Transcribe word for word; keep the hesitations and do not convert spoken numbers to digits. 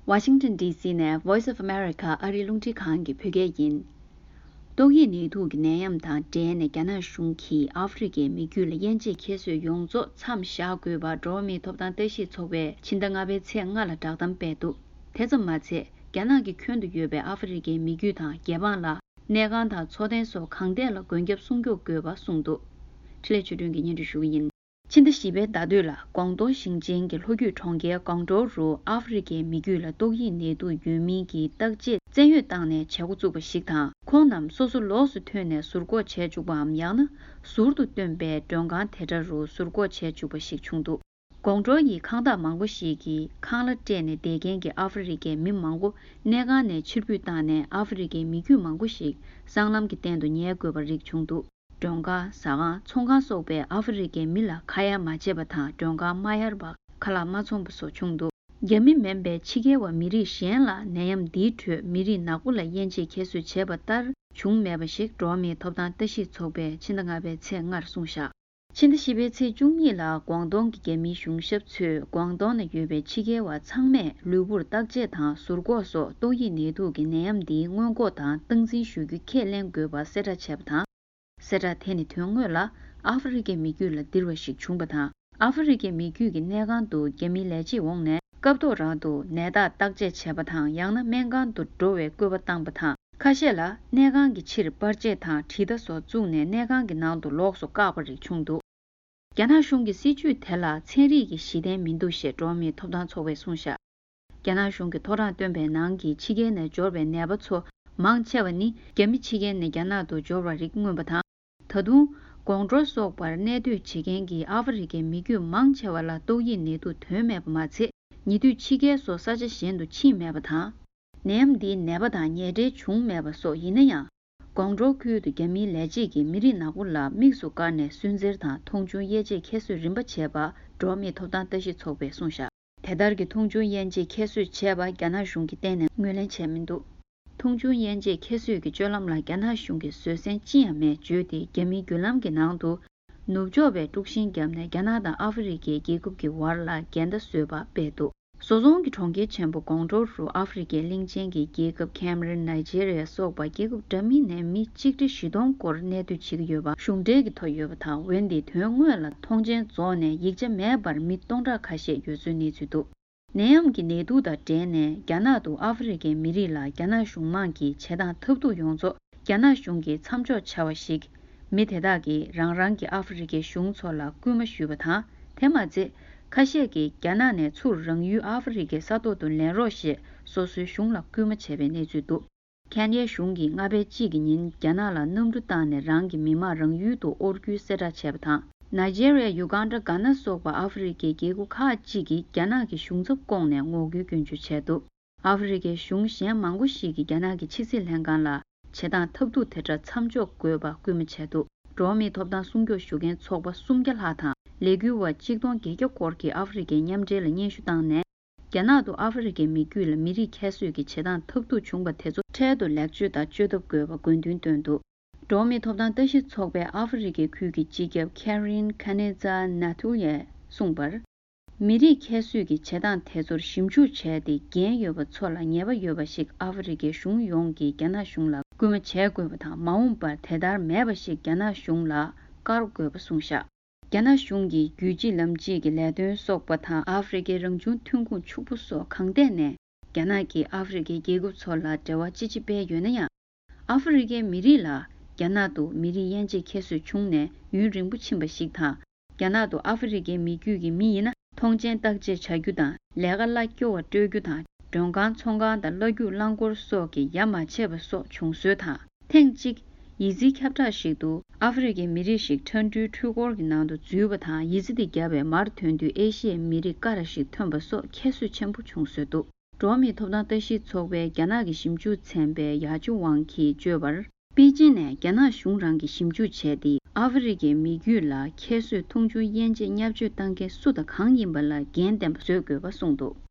Washington D C ནས Voice of America ཨ་རིའི་རླུང་འཕྲིན་ཁང་གི་བོད་སྐད་ཡིན། ཏོག་དབྱིབས་ནད་དུག་གི་ནད་ཡམས་དང་འབྲེལ་ནས་རྒྱ་ནག་གཞུང་གིས་ཨ་ཧྥེ་རི་ཁའི་མི་རྒྱུད་ལ་དབྱེ་འབྱེད་ཁྱད་གསོད་ཡོངས་རྫོགས་མཚམས་བཞག་དགོས་པ་འགྲོ་བ་མིའི་ཐོབ་ཐང་ལྟ་ཞིབ་ཚོགས་པས་ཕྱི་ཟླ་ལྔ་པའི་ཚེས་ལྔ་ལ་བསྒྲགས་གཏམ་སྤེལ་འདུག་དེ་ཙམ་མ་ཚད། རྒྱ་ནག་གི་ཁྱོན་དུ་ཡོད་པའི་ཨ་ཧྥེ་རི་ཁའི་མི་རྒྱུད་དང་རྒྱལ་འབངས་ལ་གནས་ཁང་དང་འཚོ་རྟེན་སོགས་གང་ཐད་ལ་མགོན་སྐྱབས་སྲུང་སྐྱོབ་དགོས་པ་གསུངས་འདུག་འཕྲིན་ལས་ཆོས་སྒྲོན་གྱིས་སྙན་སྒྲོན་ཞུ་གི་ཡིན། ཕྱི་ཟླ་བཞི་པའི་ཟླ་སྟོད་ལ་ཀོང་ཏུང་ཞིང་ཆེན་གྱི་ལྷོ་རྒྱུད་གྲོང་ཁྱེར་ཀོང་ཀྲོའུ་རུ་ཨ་ཧྥེ་རི་ཁའི་མི་རྒྱུད་ལ་ཏོག་དབྱིབས་ནད་དུག་ཡོད་མིན་གྱི་བརྟག་དཔྱད་བཙན་གཡོལ་བཏང་ནས་བྱེད་འགོ་བཙུགས་པ་ཞིག་དང་། ཁོང་རྣམས་སོ་སོ་ལོགས་སུ་ཐོན་ནས་ཟུར་འགོག་བྱས་བཅུག་པའམ། ཡང་ན་ཟུར་དུ་བཏོན་པའི་མགྲོན་ཁང་དེ་འདྲ་རུ་ཟུར་འགོག་བྱས་བཅུག་པ་ཞིག་བྱུང་འདུག་ཀོང་ཀྲོའུ་ཡི་ཁང་བདག་མང་པོ་ཞིག་གིས་ཁང་གླ་སྤྲད་ནས་བསྡད་མཁན་གྱི་ཨ་ཧྥེ་རི་ཁའི་མི་མང་པོ་གནས་ཁང་ནས་ཕྱིར་འབུད་བཏང་ནས། ཨ་ཧྥེ་རི་ཁའི་མི་རྒྱུད་མང་པོ་ཞིག་སྲང་ལམ་གྱི་སྟེང་དུ་ཉལ་དགོས་པ་རིགས་བྱུང་འདུག་མགྲོན་ཁང་། ཟ་ཁང་། ཚོང་ཁང་སོགས་པས་ཨ་ཧྥེ་རི་ཁའི་མི་ལ་ཁ་ཡ་མ་བྱས་པ་དང་། མགྲོན་ཁང་མ་གཡར་བ། ཁ་ལག་མ་འཚོང་བ་སོགས་བྱུང་འདུག་རྒྱ་མི་མིན་པའི་ཕྱི་རྒྱལ་བ་མི་རིགས་གཞན་ལ་ནད་ཡམས་འདིའི་ཁྲོད་མི་རིགས་ནག་པོ་ལ་དབྱེ་འབྱེད་ཁྱད་གསོད་བྱས་པ་ལྟར་བྱུང་མེད་པ་ཞིག་འགྲོ་བ་མིའི་ཐོབ་ཐང་ལྟ་ཞིབ་ཚོགས་པས་ཕྱི་ཟླ་ལྔ་པའི་ཚེས་ལྔར་གསུངས་བཞག་ཕྱི་ཟླ་བཞི་པའི་ཚེས་བཅུ་གཉིས་ལ་ཀོང་ཏུང་གི་རྒྱ་མིའི་གཞུང་ཞབས་ཚོས་ཀོང་ཏུང་ན་ཡོད་པའི་ཕྱི་རྒྱལ་བ་ཚང་མས་ལུས་པོར་བརྟག་དཔྱད་དང་ཟུར་འགོག་སོགས་ཏོག་དབྱིབས་ནད་དུག་གི་ནད་ཡམས་འདིའི་སྔོན་འགོག་དང་སྟངས་འཛིན་ཞུ་རྒྱུ་ཁས་ལེན་དགོས་པ་གསལ་བསྒྲགས་བྱས་པ་དང་། གསལ་བསྒྲགས་དེ་ནི་དོན་དངོས་ལ་ཨ་ཧྥེ་རི་ཁའི་མི་རྒྱུད་ལ་ལྡིར་བ་ཞིག་བྱུང་བ་དང་། ཨ་ཧྥེ་རི་ཁའི་མི་རྒྱུད་ཀྱི་གནས་ཁང་དུ་རྒྱ་མིའི་ལས་བྱེད་འོངས་ནས་སྐབས་ཐོག་རང་དུ་ནད་རྟགས་བརྟག་དཔྱད་བྱས་པ་དང་། ཡང་ན་སྨན་ཁང་དུ་འགྲོ་བའི་སྐུལ་བ་བཏང་པ་དང་། ཁ་ཤས་ལ་གནས་ཁང་གི་ཕྱིར་པར་ཆས་དང་དྲིལ་བརྡ་སོགས་བཙུགས་ནས་གནས་ཁང་གི་ནང་དུ་ལོགས་སུ་བཀག་པ་རིགས་བྱུང་འདུག་རྒྱ་ནག་གཞུང་གི་སྲིད་བྱུས་དེ་ལ་ཚན་རིག་གི་གཞི་རྟེན་མི་འདུག་ཞེས་འགྲོ་བ་མིའི་ཐོབ་ཐང་ཚོགས་པས་གསུངས་བཞག་རྒྱ་ནག་གཞུང་གིས་ཐོ་རངས་བཏོན་པའི་ནང་གི་ཕྱི་རྒྱལ་ནས་འབྱོར་བའི་ནད་པ་ཚོ་མང་ཆེ་བ་ནི་རྒྱ་མི་ཕྱི་རྒྱལ་ནས་རྒྱ་ནག་ཏུ་འབྱོར་བ་རིགས་མངོན་པ་དང་། ད་དུང་ཀོང་ཀྲོའུ་སོགས་པར་གནས་སྡོད་བྱེད་མཁན་གྱི་ཨ་ཧྥེ་རི་ཁའི་མི་རྒྱུད་མང་ཆེ་བ་ལ་ཏོག་དབྱིབས་ནད་དུག་ཐོན་མེད་པ་མ་ཚད། ཉེ་དུས་ཕྱི་རྒྱལ་སོགས་ས་ཆ་གཞན་དུ་ཕྱིན་མེད་པ་དང་། ནད་ཡམས་འདིའི་ནད་པ་དང་ཉེ་འབྲེལ་བྱུང་མེད་པ་སོགས་ཡིན་ན་ཡང་། ཀོང་ཀྲོའུ་ཁུལ་དུ་རྒྱ་མིའི་ལས་བྱེད་ཀྱིས་མི་རིགས་ནག་པོ་ལ་དམིགས་སུ་བཀར་ནས་སུན་གཙེར་དང་མཐོང་ཆུང་དབྱེ་འབྱེད་ཁྱད་གསོད་རིམ་པ་བྱས་པ་འགྲོ་བ་མིའི་ཐོབ་ཐང་ལྟ་ཞིབ་ཚོགས་པས་གསུངས་བཞག་དེ་ལྟར་གྱི་མཐོང་ཆུང་དབྱེ་འབྱེད་ཁྱད་གསོད་བྱས་པ་རྒྱ་ནག་གཞུང་གིས་གཏན་ནས་ངོས་ལེན་བྱས་མི་འདུག་མཐོང་ཆུང་དབྱེ་འབྱེད་ཁྱད་གསོད་ཀྱི་སྤྱོད་ལམ་ལ་རྒྱ་ནག་གཞུང་གིས་བཟོད་བསྲན་ཅི་ཡང་མེད་བརྗོད་དེ། རྒྱ་མིའི་བརྒྱུད་ལམ་གྱི་ནང་དུ་ནུབ་ཕྱོགས་པས་དཀྲུག་ཤིང་བརྒྱབ་ནས་རྒྱ་ནག་དང་ཨ་ཧྥེ་རི་ཁའི་རྒྱལ་ཁབ་ཀྱི་བར་ལ་འགལ་ཟླ་བཟོས་པ་སྤེལ་འདུག་བཟོ་ཚོང་གི་གྲོང་ཁྱེར་ཆེན་པོ་ཀོང་ཀྲོའུ་རུ་ཨ་ཧྥེ་རི་ཁའི་གླིང་ཆེན་གྱི་རྒྱལ་ཁབ་ཁེམ་རན། ནཱི་ཇེ་རི་ཡ་སོགས་པ་རྒྱལ་ཁབ་འདྲ་མིན་ནས་མི་གཅིག་ཁྲི་བཞི་སྟོང་སྐོར་གནས་སྡོད་བྱེད་ཀྱི་ཡོད་པ་གཞུང་འབྲེལ་གྱི་ཐོ་ཡོད་པ་དང་། འོན་ཏེ་དོན་དངོས་ལ་མཐོང་མཆན་རྫོགས་ནས་ཡིག་ཆ་མེད་པར་མི་སྟོང་ཕྲག་ཁ་ཤས་ཡོད་ཚུལ་གནས་ཚུལ་འདུག་ནད་ཡམས་ཀྱི་ནད་དུག་དང་འབྲེལ་ནས་རྒྱ་ནག་ཏུ་ཨ་ཧྥེ་རི་ཁའི་མི་རིགས་ལ་རྒྱ་ནག་གཞུང་མང་གིས་བྱེད་སྟངས་ཐབས་སྡུག་ཡོངས་རྫོགས་རྒྱ་ནག་གཞུང་གིས་མཚམས་འཇོག་བྱ་བ་ཞིག་མི་དེ་དག་གིས་རང་རང་གི་ཨ་ཧྥེ་རི་ཁའི་གཞུང་ཚོ་ལ་སྐུལ་མ་ཞུས་པ་དང་། དེ་མ་ཚད། ཁ་ཤས་ཀྱིས་རྒྱ་ནག་ནས་ཚུར་རང་ཡུལ་ཨ་ཧྥེ་རི་ཁའི་ས་ཐོག་ཏུ་ལེན་རོགས་ཞེས་སོ་སོའི་གཞུང་ལ་སྐུལ་མ་བྱས་པའི་གནས་ཚུལ་འདུག་ཁེན་ཡའི་གཞུང་གིས་ལྔ་པའི་གཅིག་གི་ཉིན་རྒྱ་ནག་ལ་གནམ་གྲུ་བཏང་ནས་རང་གི་མི་མང་རང་ཡུལ་དུ་དབོར་རྒྱུའི་གསལ་བསྒྲགས་བྱས་པ་དང་། ནཱི་ཇེ་རི་ཡ། ཡུ་གན་ཌ། གྷ་ན་སོགས་པ་ཨ་ཧྥེ་རི་ཁའི་རྒྱལ་ཁབ་ཁག་ཅིག་གིས་རྒྱ་ནག་གི་གཞུང་ཚབ་བསྐོངས་ནས་ངོ་རྒོལ་སྐྱོན་བརྗོད་བྱས་འདུག་ཨ་ཧྥེ་རི་ཁའི་གཞུང་གཞན་མང་པོ་ཞིག་གིས་རྒྱ་ནག་གི་ཕྱི་སྲིད་ལྷན་ཁང་ལ་བྱེད་སྟངས་ཐབས་སྡུག་དེ་འདྲ་མཚམས་འཇོག་དགོས་པ་སྐུལ་མ་བྱས་འདུག་འགྲོ་བ་མིའི་ཐོབ་ཐང་སྲུང་སྐྱོབ་ཞུ་མཁན་ཚོགས་པ་སུམ་བརྒྱ་ལྷག་དང་ལས་འགུལ་བ་གཅིག་སྟོང་བརྒྱད་བརྒྱ་སྐོར་གྱིས་ཨ་ཧྥེ་རི་ཁའི་མཉམ་འབྲེལ་ལ་སྙན་ཞུ་བཏང་ནས། རྒྱ་ནག་ཏུ་ཨ་ཧྥེ་རི་ཁའི་མི་རྒྱུད་ལ་མི་རིགས་ཁྱད་གསོད་ཀྱི་བྱེད་སྟངས་ཐབས་སྡུག་བྱུང་བ་དེ་ཚོ་འཕྲལ་དུ་ལེགས་བཅོས་དང་བཅོས་ཐབས་དགོས་པ་དགོས་འདུན་བཏོན་འདུག་འགྲོ་བ་མིའི་ཐོབ་ཐང་ལྟ་ཞིབ་ཚོགས་པའི་ཨ་ཧྥེ་རི་ཁའི་ཁུལ་གྱི་སྤྱི་ཁྱབ་Karin Kaneza Nathulia གསུངས་པར། མི་རིགས་ཁྱད་གསོད་ཀྱི་བྱེད་སྟངས་དེ་ཚོར་ཞིབ་འཇུག་བྱས་ཏེ། འགན་ཡོད་པ་ཚོ་ལ་ཉེས་པ་ཡོད་པ་ཞིག་ཨ་ཧྥེ་རི་ཁའི་གཞུང་ཡོངས་ཀྱིས་རྒྱ་ནག་གཞུང་ལ་སྐུལ་མ་བྱེད་དགོས་པ་དང་། མ་འོངས་པར་དེ་ལྟར་མེད་པ་ཞིག་རྒྱ་ནག་གཞུང་ལ་བཀར་དགོས་པ་གསུངས་བཞག་རྒྱ་ནག་གཞུང་གིས་རྒྱུད་གཅིག་ལམ་གཅིག་གི་ལས་དོན་སོགས་པ་དང་། ཨ་ཧྥེ་རི་ཁའི་རང་བྱུང་ཐོན་ཁུངས་ཕྱུག་པོ་སོགས་གང་ཐད་ནས་རྒྱ་ནག་གིས་ཨ་ཧྥེ་རི་ཁའི་རྒྱལ་ཁབ་ཚོ་ལ་འབྲེལ་བ་ཅི་ཆེ་སྤེལ་ཡོད་ན་ཡང་། ཨ་ཧྥེ་རི་ཁའི་མི་རིགས་ལ་རྒྱ་ནག་ཏུ་མི་རིགས་དབྱེ་འབྱེད་ཁྱད་གསོད་བྱུང་ནས་ཡུན་རིང་པོ་ཕྱིན་པ་ཞིག་དང་། རྒྱ་ནག་ཏུ་ཨ་ཧྥེ་རི་ཁའི་མི་རྒྱུད་ཀྱི་མི་ཡིན་ན། མཐོང་མཆན་བརྟག་དཔྱད་བྱ་རྒྱུ་དང་། ལས་ཀ་གླ་སྐྱོ་བ་སྤྲོད་རྒྱུ་དང་། མགྲོན་ཁང་། ཚོང་ཁང་དང་གླ་རྒྱུག་རླངས་འཁོར་སོགས་ཀྱི་ཡ་མ་བྱས་པ་སོགས་བྱུང་སྲོལ་དང་། ཐེངས་གཅིག་ཡི་ཙི་ཁྱབ་བསྒྲགས་ཤིག་ཏུ་ཨ་ཧྥེ་རི་ཁའི་མི་རིགས་ཤིག་ཁྲ་འབྲུའི་འཕྲུལ་འཁོར་གྱི་ནང་དུ་འཛུལ་བ་དང་། ཡི་ཙི་དེ་བརྒྱབ་པས་མར་ཐོན་དུས་ཨེ་ཤི་ཡའི་མི་རིགས་ཀ་ར་ཞིག་ཐོན་པ་སོགས་ཁྱད་གསོད་ཆེན་པོ་བྱུང་སྲོལ་འདུག་འགྲོ་བ་མིའི་ཐོབ་ཐང་ལྟ་ཞིབ་ཚོགས་པའི་རྒྱ་ནག་གི་ཞིབ་འཇུག་ཚན་པའི་ཡ་ཅུ་ཝང་གིས་བརྗོད་པར། པེ་ཅིན་ནས་རྒྱ་ནག་གཞུང་རང་གིས་ཞིབ་འཇུག་བྱས་ཏེ། ཨ་ཧྥེ་རི་ཁའི་མི་རྒྱུད་ལ་ཁྱད་གསོད་མཐོང་ཆུང་དབྱེ་འབྱེད་བརྙས་བཅོས་བཏང་མཁན་སུ་དང་གང་ཡིན་པ་ལ་འགན་ལྡན་པ་བཟོ་དགོས་པ་གསུངས་འདུག